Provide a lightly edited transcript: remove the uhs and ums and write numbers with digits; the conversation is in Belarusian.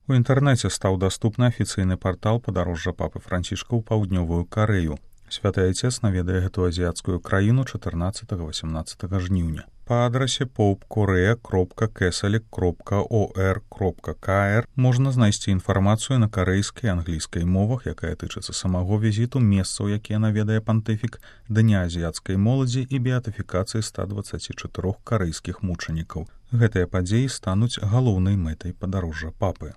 У інтэрнэце стаў даступны афіцыйны партал падарожжа папы Францішка ў паўднёвую Карэю. Святы Айцец наведае гэту азіяцкую краіну 14-18 жніўня. Па адрасе popekorea.catholic.or.kr можна знайсці інфармацыю на карэйскай і англійскай мовах, якая тычыцца самого візіту, месцаў, якія наведае пантыфік, дня азіяцкай моладзі і беатыфікацыі 124 карэйскіх мучанікаў. Гэтыя падзеі стануць галоўнай мэтай падарожжа папы.